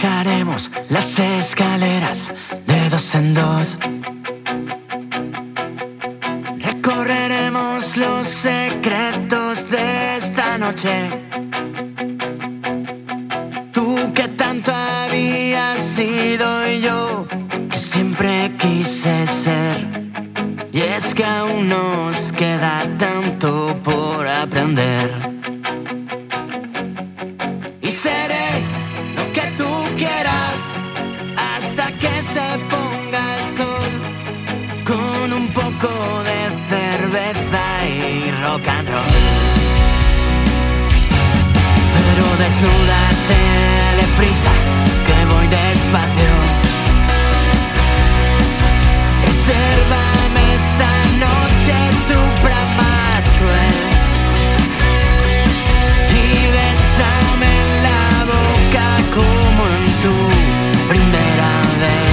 Bajaremos las escaleras de dos en dos. Recorreremos los secretos de esta noche. Tú que tanto habías sido y yo que siempre quise ser. Y es que aún nos queda tanto por aprender. Y seré lo que tú quieras hasta que se ponga el sol, con un poco de cerveza y rock and roll. Pero desnúdate deprisa, que voy despacio. Resérvame esta noche tu brama cruel y bésame en la boca como en tu primera vez,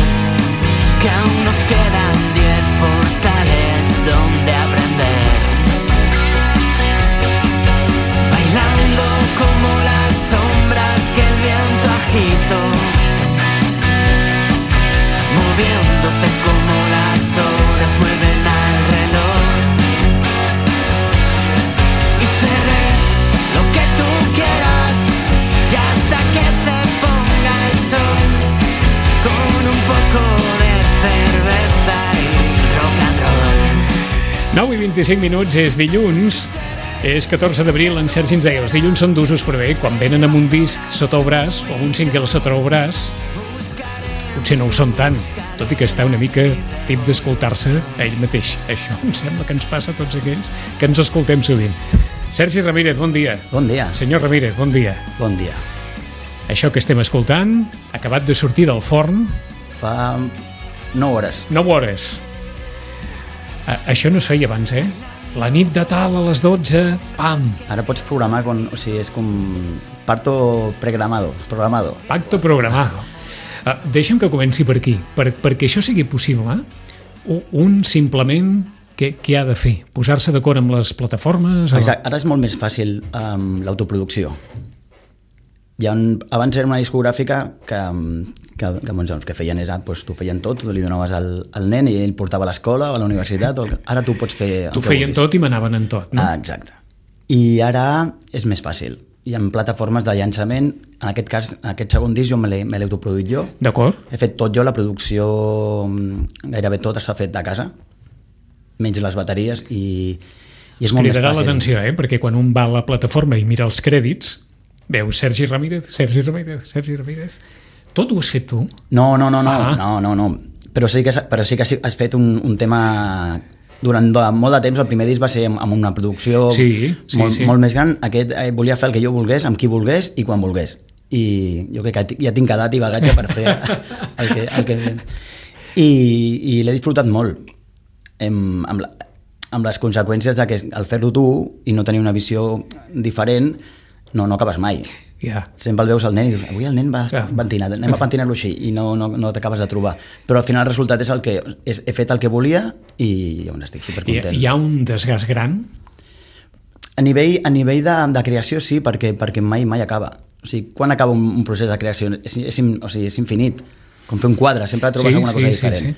que aún nos quedan 10 portales donde aprender. Bailando como las sombras que el viento agitó, moviéndote como las horas mueven al reloj. Y seré lo que tú quieras y hasta que se ponga el sol, con un poco de cerveza y rock and roll. 9 i 25 minuts, és dilluns, és 14 d'abril. En Sergi ens deia, els dilluns són d'usos, però bé, quan venen amb un disc sota el braç o amb un single sota el braç, potser no ho són tant, tot i que està una mica tip d'escoltar-se a ell mateix. Això em sembla que ens passa a tots aquells que ens escoltem sovint. Sergi Ramírez, bon dia. Bon dia. Senyor Ramírez, bon dia. Bon dia. Això que estem escoltant, acabat de sortir del forn... Fa 9 hores. 9 hores. Això no es feia abans, eh? La nit de tal a les 12, pam! Ara pots programar, o sigui, és com parto programado. Pacto programado. Deixa'm que comenci per aquí. Perquè això sigui possible, un simplement què ha de fer? Posar-se d'acord amb les plataformes? Exacte. Ara és molt més fàcil l'autoproducció. Abans era una discogràfica que feien tu feien tot, tu li donaves al nen i ell portava a l'escola o a la universitat. Ara tu pots fer... Tu feien tot i manaven en tot, no? Exacte. I ara és més fàcil. Hi ha plataformes de llançament. En aquest cas, en aquest segon disc jo me l'he autoproduït jo. D'acord. He fet tot jo, la producció gairebé tot s'ha fet a casa, menys les bateries, i és molt més fàcil. Cridarà l'atenció, perquè quan un va a la plataforma i mira els crèdits, veu Sergi Ramírez. Tot ho has fet tu? No. Però sí que has fet un tema... Durant molt de temps, el primer disc va ser amb una producció molt més gran. Aquest volia fer el que jo volgués, amb qui volgués i quan volgués. I jo crec que ja tinc edat i bagatge per fer el que... I l'he disfrutat molt. Amb les conseqüències de que al fer-ho tu i no tenir una visió diferent, no acabes mai. Sempre el veus al nen i dius, avui el nen va pentinat, anem a pentinar-lo així, i no t'acabes de trobar. Però al final el resultat és el que he fet el que volia i estic supercontent. Hi ha un desgast gran? A nivell de creació sí, perquè mai acaba. O sigui, quan acaba un procés de creació? És infinit. Com fer un quadre, sempre trobes alguna cosa diferent.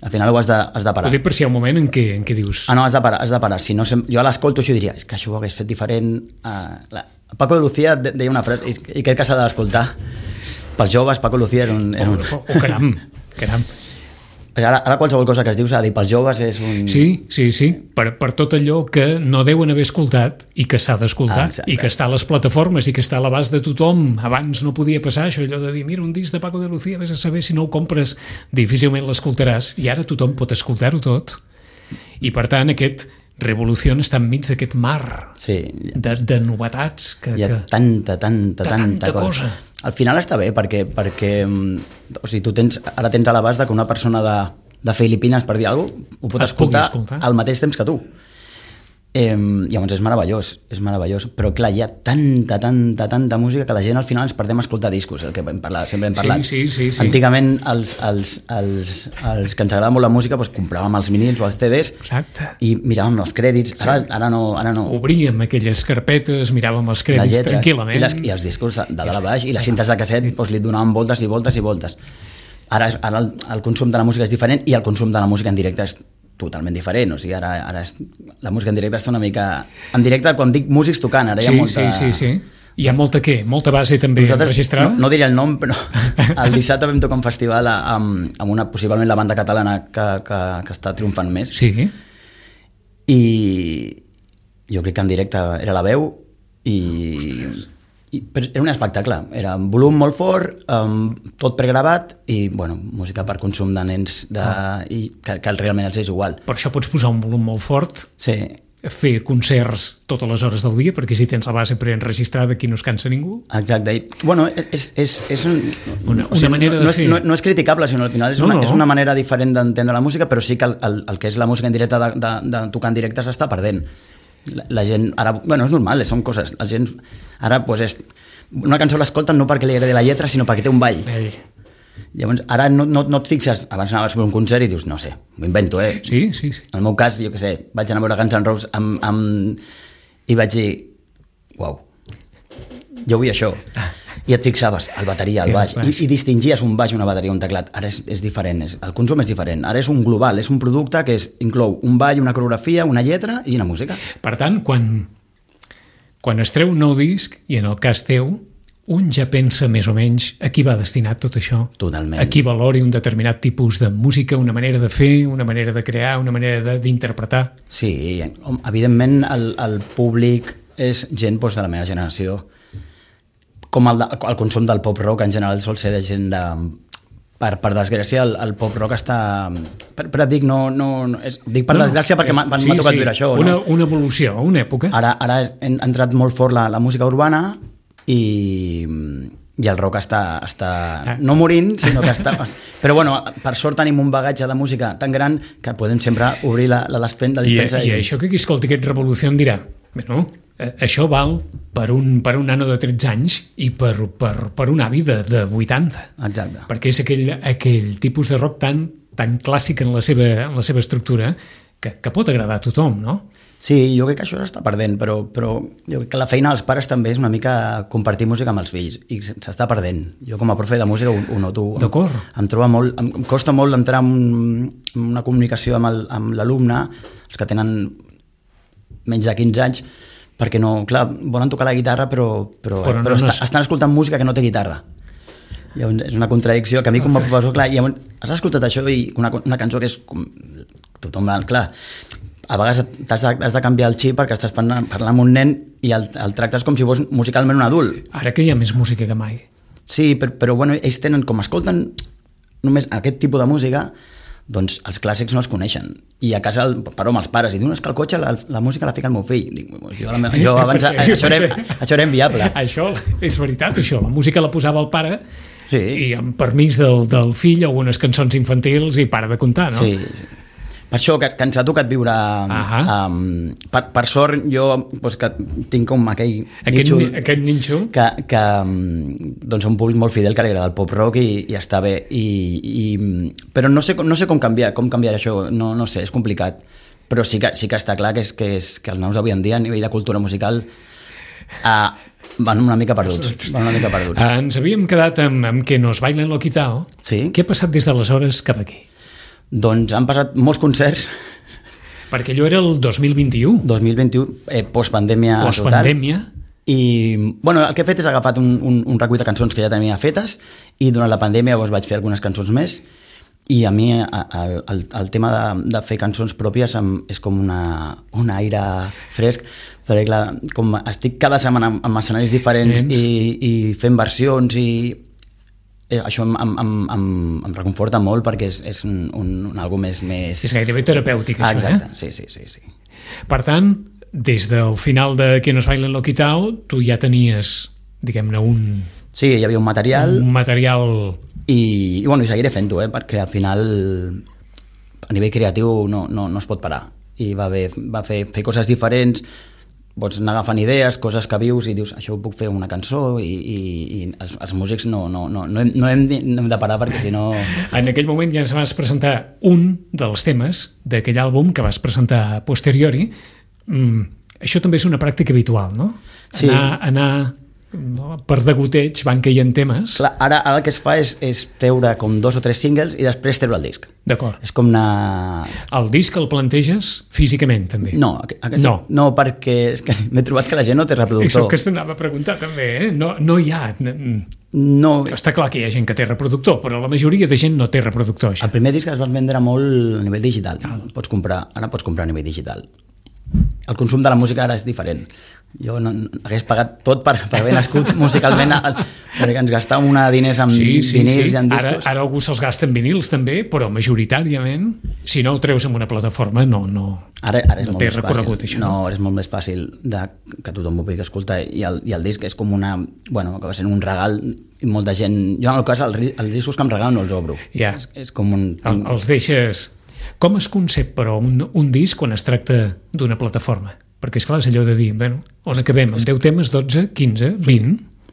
Al final ho has de parar. Ho dic per si hi ha un moment en què dius... No, has de parar. Si no, jo a l'escolto això i diria, és que això ho hagués fet diferent. Paco de Lucía deia una frase, i crec que s'ha d'escoltar. Pels joves, Paco Lucía era un... caram. Ara qualsevol cosa que es diu s'ha de dir, pels joves és un... Sí. Per tot allò que no deuen haver escoltat i que s'ha d'escoltar, i que està a les plataformes i que està a l'abast de tothom. Abans no podia passar això, allò de dir, mira, un disc de Paco de Lucía, vés a saber si no ho compres, difícilment l'escoltaràs, i ara tothom pot escoltar-ho tot. I per tant aquest Revolució està enmig d'aquest mar de novetats. Hi ha tanta cosa. Al final està bé perquè o sigui, tu ara tens a l'abast que una persona de Filipines, per dir alguna cosa, ho pot escoltar al mateix temps que tu. Llavors és meravellós, però clar, hi ha tanta música que la gent al final ens perdem a escoltar discos, el que sempre hem parlat. Sí. Antigament els que ens agrada molt la música doncs compràvem els vinils o els CDs. Exacte. I miràvem els crèdits, ara no. Obríem aquelles carpetes, miràvem els crèdits tranquil·lament. I els discos de dalt a baix, i les cintes de casset doncs li donaven voltes i voltes i voltes. Ara el consum de la música és diferent i el consum de la música en directe és totalment diferent, o sigui, ara la música en directe està una mica... En directe, quan dic músics tocant, ara hi ha molta... Sí. Hi ha molta base també registrada? No diria el nom, però el dissabte vam tocar un festival amb una, possiblement la banda catalana que està triomfant més. Sí. I jo crec que en directe era La Veu però era un espectacle, era un volum molt fort, tot pregravat i música per consum de nens i que realment els és igual. Per això pots posar un volum molt fort, sí. Fer concerts totes les hores del dia, perquè si tens la base preenregistrada aquí no es cansa ningú. Exacte. És una manera de fer. No és criticable, sinó al final és una manera diferent d'entendre la música, però sí que el que és la música en directe de tocar en directe s'està perdent. La gent, ara, és normal, són coses, la gent ara una cançó l'escolten no perquè li agradi la lletra, sinó perquè té un ball. Llavors, ara no et fixes, abans anaves per un concert i dius, no sé, m'ho invento, Sí. En el meu cas, jo què sé, vaig anar a veure Guns N' Roses i vaig dir, uau, jo vull això. I et fixaves, el bateria, el baix, i distingies un baix, una bateria, un teclat. Ara és diferent, el consum és diferent. Ara és un global, és un producte que inclou un ball, una coreografia, una lletra i una música. Per tant, quan es treu un nou disc, i en el cas teu, un ja pensa més o menys a qui va destinat tot això. Totalment. A qui valori un determinat tipus de música, una manera de fer, una manera de crear, una manera d'interpretar. Sí, evidentment el públic és gent de la meva generació, com el consum del pop-rock en general sol ser de gent de... Per desgràcia, el pop-rock està... Però dic, dic per desgràcia perquè m'ha tocat viure això. Una evolució, una època. Ara ha entrat molt fort la música urbana i el rock està no morint, sinó que està... Però per sort tenim un bagatge de música tan gran que podem sempre obrir la despensa. I això que qui escolti aquest Revolució dirà, això val per un nano de 13 anys i per un avi de 80. Exacte. Perquè és aquell tipus de rock tan clàssic en la seva estructura que pot agradar a tothom, no? Sí, jo crec que això s'està perdent, però jo crec que la feina dels pares també és una mica compartir música amb els fills, i s'està perdent. Jo com a profe de música ho noto. D'acord. Em costa molt entrar en una comunicació amb l'alumne, els que tenen menys de 15 anys, perquè volen tocar la guitarra però estan escoltant música que no té guitarra. Llavors, és una contradicció que a mi com a professor, has escoltat això i una cançó que és com tothom, clar, a vegades has de canviar el xip perquè estàs parlant amb un nen i el tractes com si fos musicalment un adult. Ara que hi ha més música que mai. Sí, però ells tenen, com escolten només aquest tipus de música, doncs els clàssics no els coneixen. I a casa parlo amb els pares i diuen que al cotxe la música la fica el meu fill. Dic, jo abans això era inviable. Això és veritat, això. La música la posava el pare i amb permís del fill algunes cançons infantils i para de comptar, no? Sí. Per això que ens ha tocat viure... Per sort, jo que tinc com aquell nínxol que un públic molt fidel que li agrada el pop-rock i està bé. Però no sé com canviar això, no sé, és complicat. Però sí que està clar que els nanos d'avui en dia a nivell de cultura musical van una mica perduts. Ens havíem quedat amb que nos bailen lo quitao. Sí. Què ha passat des d'aleshores cap aquí? Doncs han passat molts concerts. Perquè allò era el 2021. 2021, postpandèmia. I el que he fet és agafat un recull de cançons que ja tenia fetes i durant la pandèmia vaig fer algunes cançons més i a mi el tema de fer cançons pròpies és com un aire fresc, perquè clar, com estic cada setmana en escenaris diferents i fent versions i això em reconforta molt perquè és algo més... És gairebé terapèutic, això, exacte, sí. Per tant, des del final de Que nos bailen lo quitao, tu ja tenies, diguem-ne, Sí, hi havia un material. I seguiré fent-ho, perquè al final a nivell creatiu no es pot parar. i va fer coses diferents, pots anar agafant idees, coses que vius i dius, això ho puc fer una cançó i els músics no hem de parar perquè si no... En aquell moment ja ens vas presentar un dels temes d'aquell àlbum que vas presentar a posteriori. Això també és una pràctica habitual, no? Sí. Anar per degoteig van caient temes. Clar, ara el que es fa és treure com 2 o 3 singles i després treure el disc. D'acord. És com anar... El disc el planteges físicament, també? No, perquè és que m'he trobat que la gent no té reproductor. Això que s'anava a preguntar, també, eh? No hi ha... No. Està clar que hi ha gent que té reproductor, però la majoria de gent no té reproductor. Això. El primer disc es va vendre molt a nivell digital. Ara pots comprar a nivell digital. El consum de la música ara és diferent. Jo no hagués pagat tot per haver nascut musicalment, perquè ens gastàvem diners en vinils i en discos. Ara algú se'ls gasta en vinils també, però majoritàriament, si no ho treus en una plataforma, no té recorregut això. No, és molt més fàcil que tothom ho pugui escoltar, i el disc és com una... Bueno, que va ser un regal, i molta gent... Jo en el cas, els discos que em regalen no els obro. Ja. És com un... Els deixes... Com es concep, però, un disc quan es tracta d'una plataforma? Perquè, esclar, és allò de dir, bueno, on acabem? Amb 10 temes, 12, 15, 20?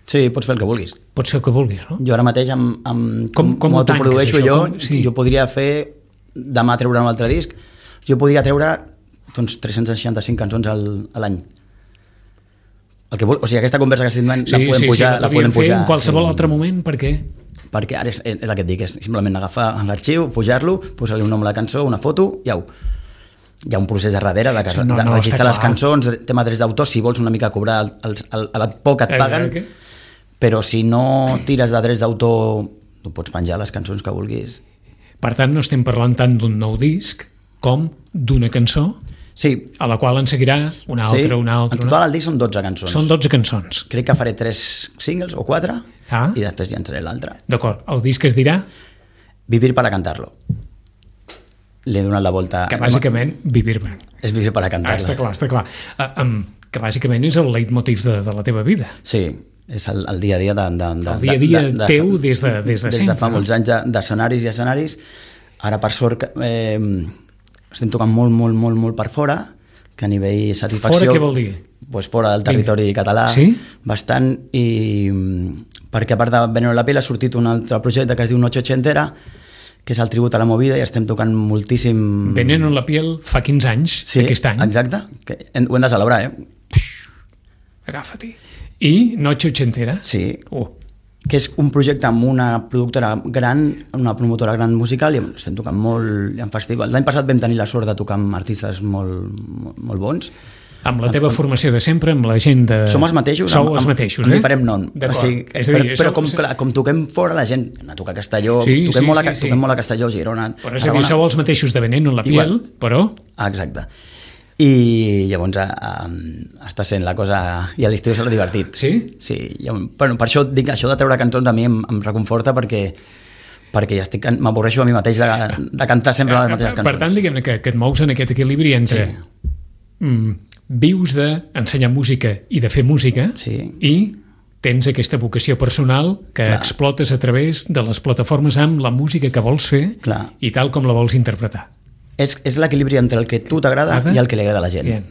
Sí, pots fer el que vulguis. Pots fer el que vulguis, no? Jo ara mateix, com autoprodueixo jo podria fer, demà treure un altre disc, jo podria treure 365 cançons a l'any. O sigui, aquesta conversa que estem la podem pujar. La podem fer en qualsevol altre moment, per què? Perquè ara és el que et dic, és simplement agafar l'arxiu, pujar-lo, posar-li un nom a la cançó, una foto, hi ha un procés darrere de registrar les cançons, tema drets d'autor, si vols una mica cobrar a la poc et paguen, però si no tires de drets d'autor, tu pots penjar les cançons que vulguis. Per tant, no estem parlant tant d'un nou disc com d'una cançó, a la qual en seguirà una altra. En total el disc són 12 cançons. Són 12 cançons. Crec que faré 3 singles o 4 i després llançaré l'altre. D'acord. El disc es dirà? Vivir para cantarlo. L'he donat la volta... Que bàsicament vivir... És vivir para cantarlo. Està clar. Que bàsicament és el leitmotiv de la teva vida. Sí, és el dia a dia el dia a dia teu des de sempre. Des de fa molts anys d'escenaris i escenaris. Ara, per sort, estem tocant molt per fora, que a nivell satisfacció... Fora què vol dir? Pues fora del territori català, bastant, i perquè a part de Veneno en la piel ha sortit un altre projecte que es diu Noche Ochentera, que és el tribut a la movida, i estem tocant moltíssim... Veneno en la piel fa 15 anys, aquest any. Sí, exacte, ho hem de celebrar, Agafa-t'hi. I Noche Ochentera? Sí, que és un projecte amb una productora gran, una promotora gran musical, i estem tocant molt en festivals. L'any passat vam tenir la sort de tocar amb artistes molt bons. Amb la teva formació de sempre, amb la gent de... Som els mateixos, amb diferent nom. Però com toquem fora, la gent a tocar a Castelló, toquem molt a Castelló, Girona... Però és a dir, sou els mateixos de Veneno en la piel, però... Exacte. I llavors està sent la cosa... I a l'estiu serà divertit. Sí? Sí. Per això dic que això de treure cançons a mi em reconforta perquè ja m'avorreixo a mi mateix de cantar sempre les mateixes cançons. Per tant, diguem-ne que et mous en aquest equilibri entre vius d'ensenyar música i de fer música i tens aquesta vocació personal que explotes a través de les plataformes amb la música que vols fer i tal com la vols interpretar. És l'equilibri entre el que tu t'agrada i el que li agrada a la gent.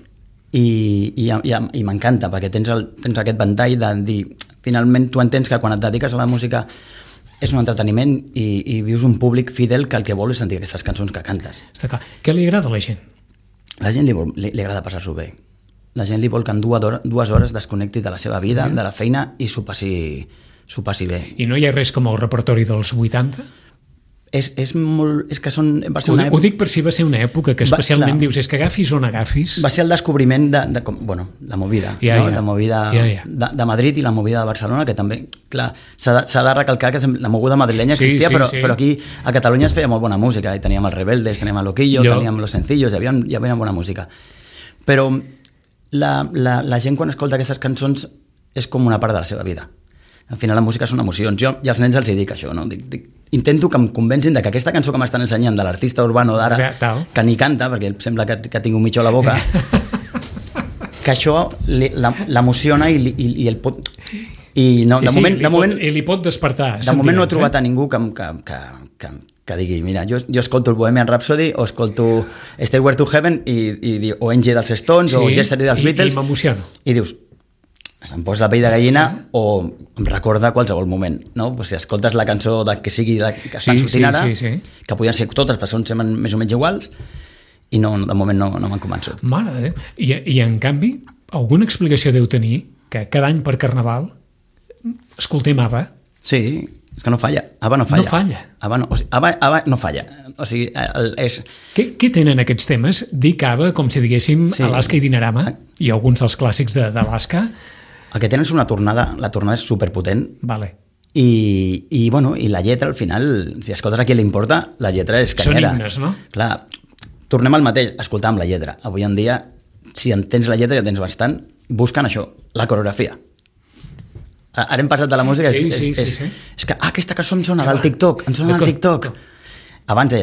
I m'encanta, perquè tens aquest ventall de dir, finalment tu entens que quan et dediques a la música és un entreteniment i vius un públic fidel que el que vol és sentir aquestes cançons que cantes. Està clar. Què li agrada a la gent? La gent li agrada passar-s'ho bé. La gent li vol que en 2 hores desconnecti de la seva vida, de la feina, i s'ho passi bé. I no hi ha res com el repertori dels 80? És que són... Ho dic per si va ser una època que especialment dius, és que agafis on agafis... Va ser el descobriment de la movida, la movida de Madrid i la movida de Barcelona, que també, clar, s'ha de recalcar que la moguda madrilenya existia, però aquí a Catalunya es feia molt bona música, i teníem els Rebeldes, teníem el Loquillo, teníem los Sencillos, hi havia bona música. Però la gent quan escolta aquestes cançons és com una part de la seva vida. Al final la música són emocions. Jo i als nens els dic això, no? Intento que em convencin de que aquesta cançó que m'estan ensenyant de l'artista urbano d'ara, que ni canta, perquè sembla que tinc un mitjó a la boca, que això l'emociona i el pot... I li pot despertar. De moment no he trobat a ningú que que digui, mira, jo escolto el Bohemian Rhapsody o escolto Stairway to Heaven o Angie dels Stones o Yesterday dels Beatles. I m'emociono. I dius, se'm posa la pell de gallina o em recorda qualsevol moment, no? Pues si escoltes la cançó que sigui que estan sortint ara, que podien ser totes, però són més o menys iguals, i no, de moment no m'han convençut. Mare de Déu. I en canvi, alguna explicació deu tenir que cada any per Carnaval escoltem ABBA? Sí, és que no falla. ABBA no falla. No falla. ABBA no falla. O sigui, és... Què tenen aquests temes? Dic ABBA com si diguéssim Alaska i Dinarama i alguns dels clàssics d'Alaska. El que tenen és una tornada, la tornada és superpotent. Vale. I la lletra, al final, si escoltes a qui li importa, la lletra és canyera. Són himnes, no? Clar, tornem al mateix, escoltàvem la lletra. Avui en dia, si entens la lletra, ja tens bastant, busquen això, la coreografia. Ara hem passat de la música, és que aquesta cançó em sona del TikTok, Abans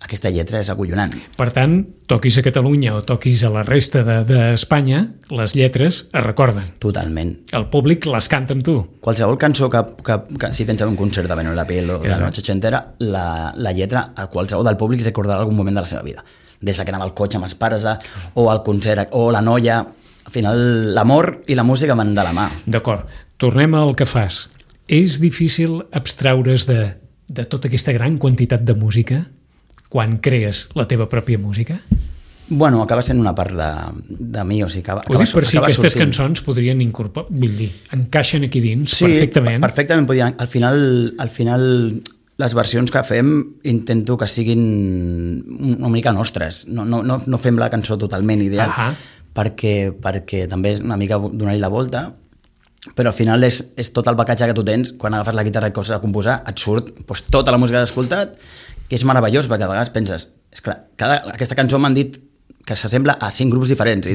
aquesta lletra és acollonant. Per tant, toquis a Catalunya o toquis a la resta d'Espanya, les lletres es recorden. Totalment. El públic les canta amb tu. Qualsevol cançó que si tens en un concert de Benno la Piel o de la Noche Ochentera, la lletra a qualsevol del públic recordarà algun moment de la seva vida. Des que anava al cotxe amb els pares o al concert o la noia. Al final, l'amor i la música van de la mà. D'acord. Tornem al que fas. És difícil abstraure's de tota aquesta gran quantitat de música quan crees la teva pròpia música? Bueno, acaba sent una part de mi, o sigui, ho dic per si aquestes cançons podrien incorporar, vull dir, encaixen aquí dins perfectament. Sí, perfectament podien. Al final les versions que fem intento que siguin una mica nostres. No fem la cançó totalment ideal, perquè també és una mica donar-hi la volta, però al final és tot el bacatge que tu tens. Quan agafes la guitarra i coses a composar, et surt tota la música que has escoltat, que és meravellós, perquè a vegades penses, és clar, aquesta cançó m'han dit que s'assembla a 5 grups diferents,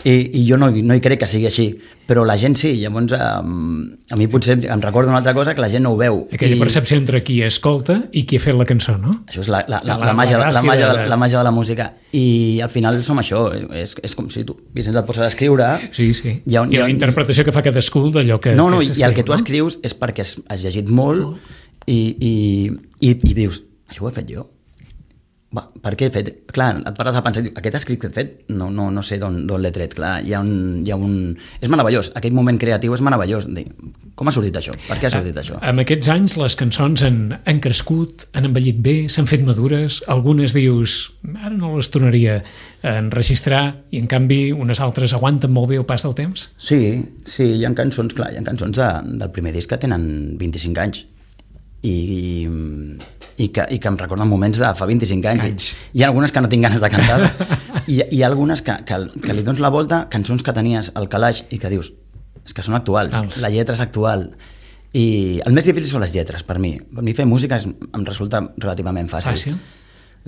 i jo no hi crec que sigui així, però la gent sí. Llavors a mi potser em recorda una altra cosa que la gent no ho veu. Aquella percepció entre qui escolta i qui ha fet la cançó, no? Això és la màgia de la música, i al final som això, és com si tu, Vicenç, et poses a escriure. Sí. I la interpretació que fa cadascú d'allò que s'escriu. I el que tu escrius és perquè has llegit molt i dius, això ho he fet jo? Per què he fet? Clar, et pares a pensar, aquest escrit que he fet, no sé d'on l'he tret. Clar, hi ha un... És meravellós, aquell moment creatiu és meravellós. Com ha sortit això? Per què ha sortit això? En aquests anys les cançons han crescut, han envellit bé, s'han fet madures, algunes dius, ara no les tornaria a enregistrar, i en canvi unes altres aguanten molt bé el pas del temps? Sí, hi ha cançons, clar, del primer disc que tenen 25 anys. I que em recorden moments de fa 25 anys. Hi ha algunes que no tinc ganes de cantar, i hi ha algunes que li dones la volta, cançons que tenies al calaix i que dius, és que són actuals, la lletra és actual, i el més difícil són les lletres per mi fer música em resulta relativament fàcil.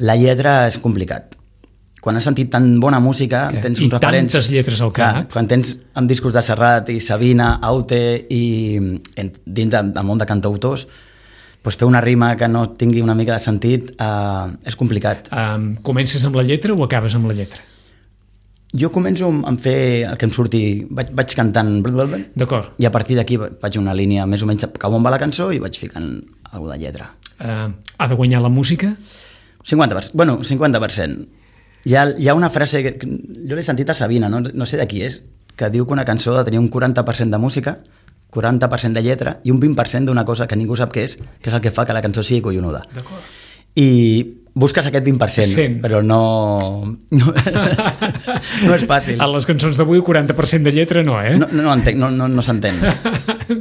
La lletra és complicat. Quan has sentit tan bona música, tens uns referents... I tantes lletres al cap. Quan tens amb discos de Serrat i Sabina, Aute, i dins del món de cantautors, doncs fer una rima que no tingui una mica de sentit és complicat. Comences amb la lletra o acabes amb la lletra? Jo començo amb fer el que em surti, vaig cantant, d'acord, i a partir d'aquí faig una línia més o menys cap on va la cançó i vaig ficant alguna de lletra. Ha de guanyar la música? 50%. Hi ha una frase que jo l'he sentit a Sabina, no sé de qui és, que diu que una cançó ha de tenir un 40% de música, 40% de lletra i un 20% d'una cosa que ningú sap què és el que fa que la cançó sigui collonuda. D'acord. I busques aquest 20%, però no és fàcil. A les cançons d'avui 40% de lletra no, No entenc, no s'entén.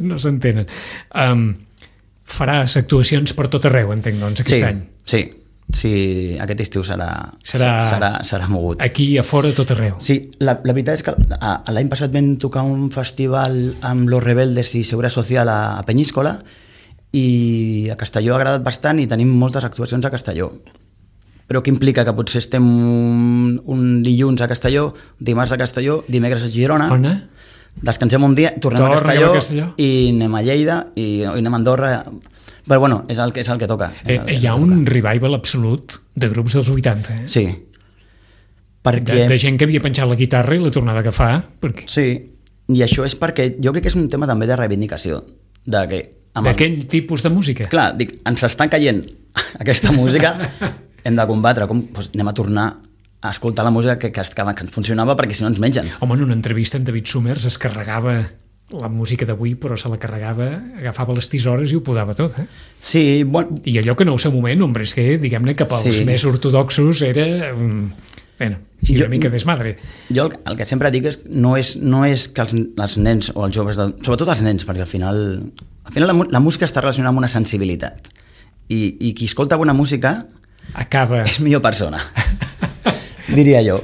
No s'entenen. Faràs actuacions per tot arreu, entenc, doncs, aquest any. Sí, aquest estiu serà mogut. Aquí a fora, tot arreu. Sí, la veritat és que l'any passat vam tocar un festival amb Los Rebeldes i Seguridad Social a Peñíscola, i a Castelló ha agradat bastant i tenim moltes actuacions a Castelló. Però què implica? Que potser estem un dilluns a Castelló, dimarts a Castelló, dimecres a Girona... On? Descansem un dia, tornem a Castelló i anem a Lleida i anem a Andorra... Però bueno, és el que toca. Hi ha un revival absolut de grups dels 80, Sí. Perquè... De gent que havia penjat la guitarra i la tornada a agafar. Sí, i això és perquè jo crec que és un tema també de reivindicació, de que d'aquell tipus de música. Clar, dic, ens està caient aquesta música, hem de combatre, doncs anem a tornar a escoltar la música que ens funcionava, perquè si no ens mengen. Home, en una entrevista en David Summers es carregava la música d'avui, però se la carregava, agafava les tisores i ho podava tot, eh? Sí, bueno... I allò que en el seu moment, hombre, és que, diguem-ne, que pels més ortodoxos era... Bueno, així una mica desmadre. Jo el que sempre dic és no és que els nens o els joves, sobretot els nens, perquè al final la música està relacionada amb una sensibilitat. I qui escolta bona música acaba... és millor persona. Diria jo.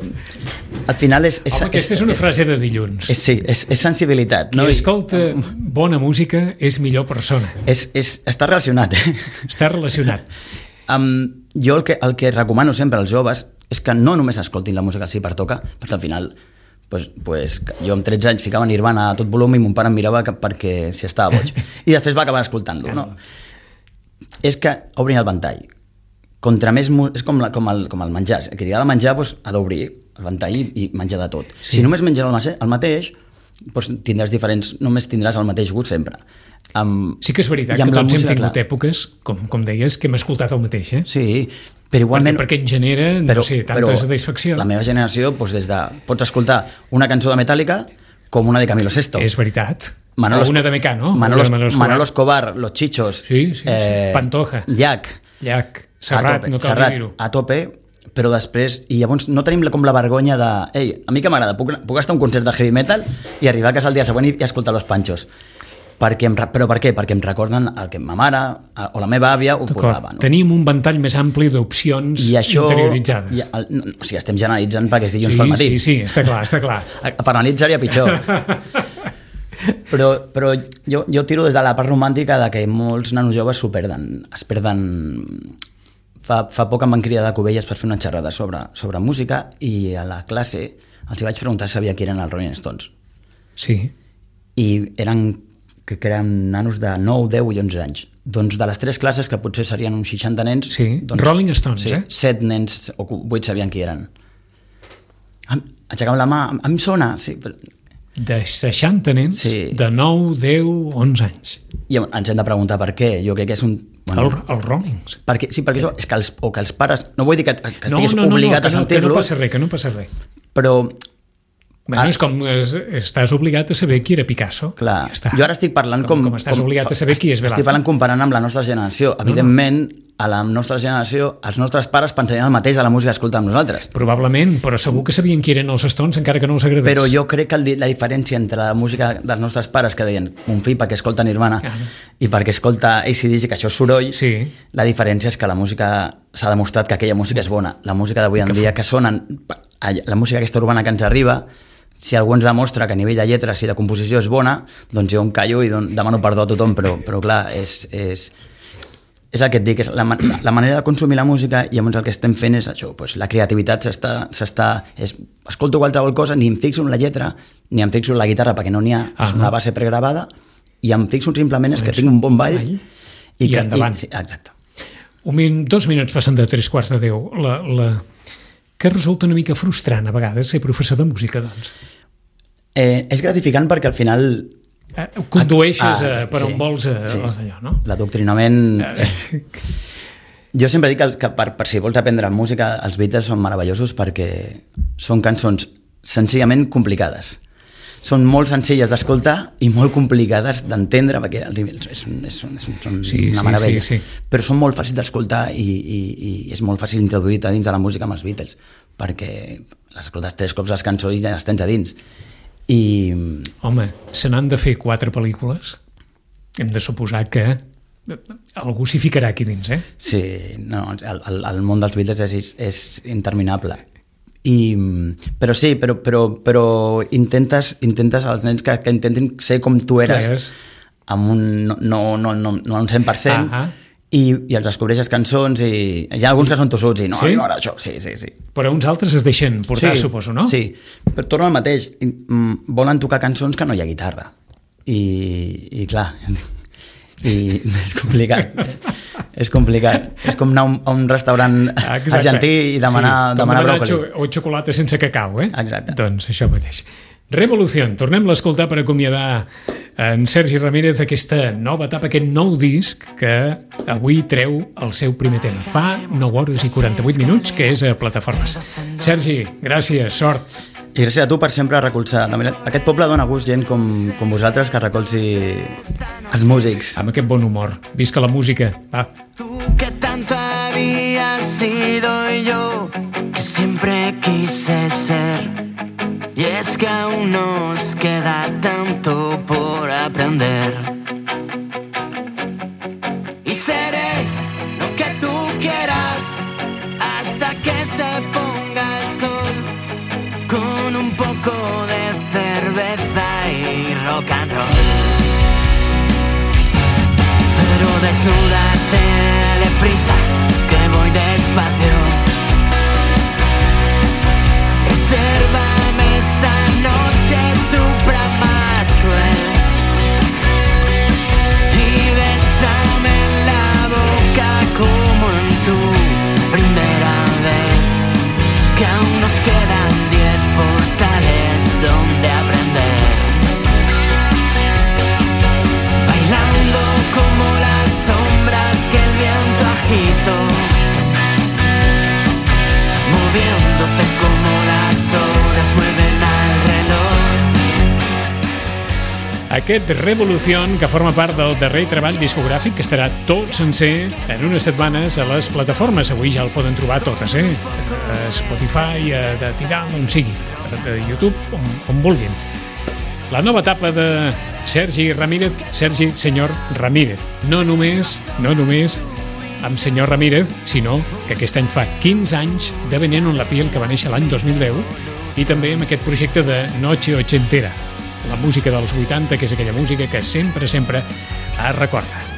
Al final és... Home, aquesta és una frase de dilluns. Sí, és sensibilitat. Qui escolta bona música és millor persona. Està relacionat. Està relacionat. Jo el que recomano sempre als joves és que no només escoltin la música si pertoca, perquè al final pues, jo amb 13 anys ficava Nirvana a tot volum i mon pare em mirava perquè si estava boig. I després va acabar escoltant-lo. No? És que obrin el ventall. Contra més, és com el menjar. Qui li ha de menjar ha d'obrir el ventall i menjar de tot. Sí. Si només menges el mateix, només tindràs el mateix gust sempre. Sí que és veritat que tots hem tingut èpoques, com deies, que hem escoltat el mateix, eh? Sí, però igualment... Perquè en genera, tanta satisfacció. La meva generació, pots escoltar una cançó de Metallica com una de Camilo Sesto. És veritat. O una de Mecano. Manolo Escobar, Los Chichos, Pantoja, Llach, Serrat, no cal dir-ho. A tope, però després, i llavors no tenim com la vergonya de ei, a mi que m'agrada, puc estar a un concert de heavy metal i arribar a casa el dia següent i escoltar Los Panchos. Però per què? Perquè em recorden el que ma mare o la meva àvia ho posava. No? Tenim un ventall més ampli d'opcions interioritzades. O sigui, estem generalitzant perquè és dilluns pel matí. Sí, està clar. Per la nit seria pitjor. Però jo tiro des de la part romàntica de que molts nanos joves es perden. Fa poc em van cridar de Cubelles per fer una xerrada sobre música i a la classe els vaig preguntar si sabia qui eren els Rolling Stones. Sí. I eren nanos de 9, 10 i 11 anys. Doncs de les 3 classes, que potser serien uns 60 nens... Sí, Rolling Stones, 7 nens o 8 sabien qui eren. Aixecàvem la mà, em sona, sí. De 60 nens, de 9, 10, 11 anys. I ens hem de preguntar per què. Jo crec que és un... Bueno, els Rollings. Perquè això és que els pares... No vull dir que estiguis obligat a sentir-los... Que no passa res. Però... Bueno, és com estàs obligat a saber qui era Picasso. Clar, jo ara estic parlant com estàs obligat a saber qui és Velázquez. Estic parlant comparant amb la nostra generació. Evidentment, a la nostra generació, els nostres pares pensarien el mateix de la música que escoltem nosaltres. Probablement, però segur que sabien qui eren els Stones, encara que no els agradés. Però jo crec que la diferència entre la música dels nostres pares, que deien mon fill perquè escolta Nirvana i perquè escolta AC/DC, que això és soroll, la diferència és que la música s'ha demostrat que aquella música és bona. La música d'avui en dia que sonen, la música aquesta urbana que ens arriba, si algú ens demostra que a nivell de lletres i de composició és bona, doncs jo em callo i demano perdó a tothom, però clar, és el que et dic, és la manera de consumir la música, i llavors el que estem fent és això, doncs la creativitat escolto qualsevol cosa, ni em fixo en la lletra, ni em fixo en la guitarra, perquè no n'hi ha, és una base pregravada, i em fixo simplement és que tinc un bon ball i endavant. Sí, exacte. 2 minuts passen de 3:15. Que resulta una mica frustrant a vegades ser professor de música, doncs? És gratificant perquè al final... Condueixes per on vols d'allò, no? L'adoctrinament... Jo sempre dic que per si vols aprendre música, els Beatles són meravellosos perquè són cançons senzillament complicades. Són molt senzilles d'escoltar i molt complicades d'entendre, perquè són una meravella. Sí. Però són molt fàcils d'escoltar i és molt fàcil introduir-te dins de la música amb els Beatles, perquè les escoltes 3 cops les cançons i ja les tens a dins. Home, se n'han de fer 4 pel·lícules. Hem de suposar que algú s'hi ficarà aquí dins, eh? Sí, no, el món dels Beatles és interminable. Però intentes als nens que intentin ser com tu eres, amb no un 100%, i els descobreixes cançons, i hi ha alguns que són tossuts i no m'agrada això, sí. Però uns altres es deixen portar, suposo, no? Sí, però torno al mateix, volen tocar cançons que no hi ha guitarra, i clar, i és complicat. És com anar a un restaurant argentí i demanar bròcoli. O xocolata sense cacau, eh? Exacte. Doncs això mateix. Revolució, tornem-la a escoltar per acomiadar en Sergi Ramírez aquesta nova etapa, aquest nou disc que avui treu el seu primer tema. Fa 9 hores i 48 minuts, que és a Plataformes. Sergi, gràcies, sort. I gràcies a tu per sempre recolzar. Aquest poble dona gust gent com vosaltres que recolzi els músics. Amb aquest bon humor. Visca la música. Va. Tú que tanto habías sido y yo que siempre quise ser. Y es que aún nos queda tanto por aprender. Y seré lo que tú quieras hasta que se ponga el sol. Con un poco de cerveza y rock and roll. Pero desnúdate deprisa, que voy despacio. Resérvame esta noche tu más cruel y bésame en la boca como en tu primera vez, que aún nos quedan 10 portales donde aprender. Bailando como las sombras que el viento agitó, moviéndote como las horas mueven al reloj. Aquest Revolución, que forma part del darrer treball discogràfic, que estarà tot sencer en unes setmanes a les plataformes. Avui ja el poden trobar totes, a Spotify, de Tidal, on sigui, de YouTube, on vulguin. La nova etapa de Sergi Ramírez, Sergi Senyor Ramírez. No només amb Senyor Ramírez, sinó que aquest any fa 15 anys de Veneno en la piel, que va néixer l'any 2010, i també amb aquest projecte de Noche Ochentera, la música dels 80, que és aquella música que sempre es recorda.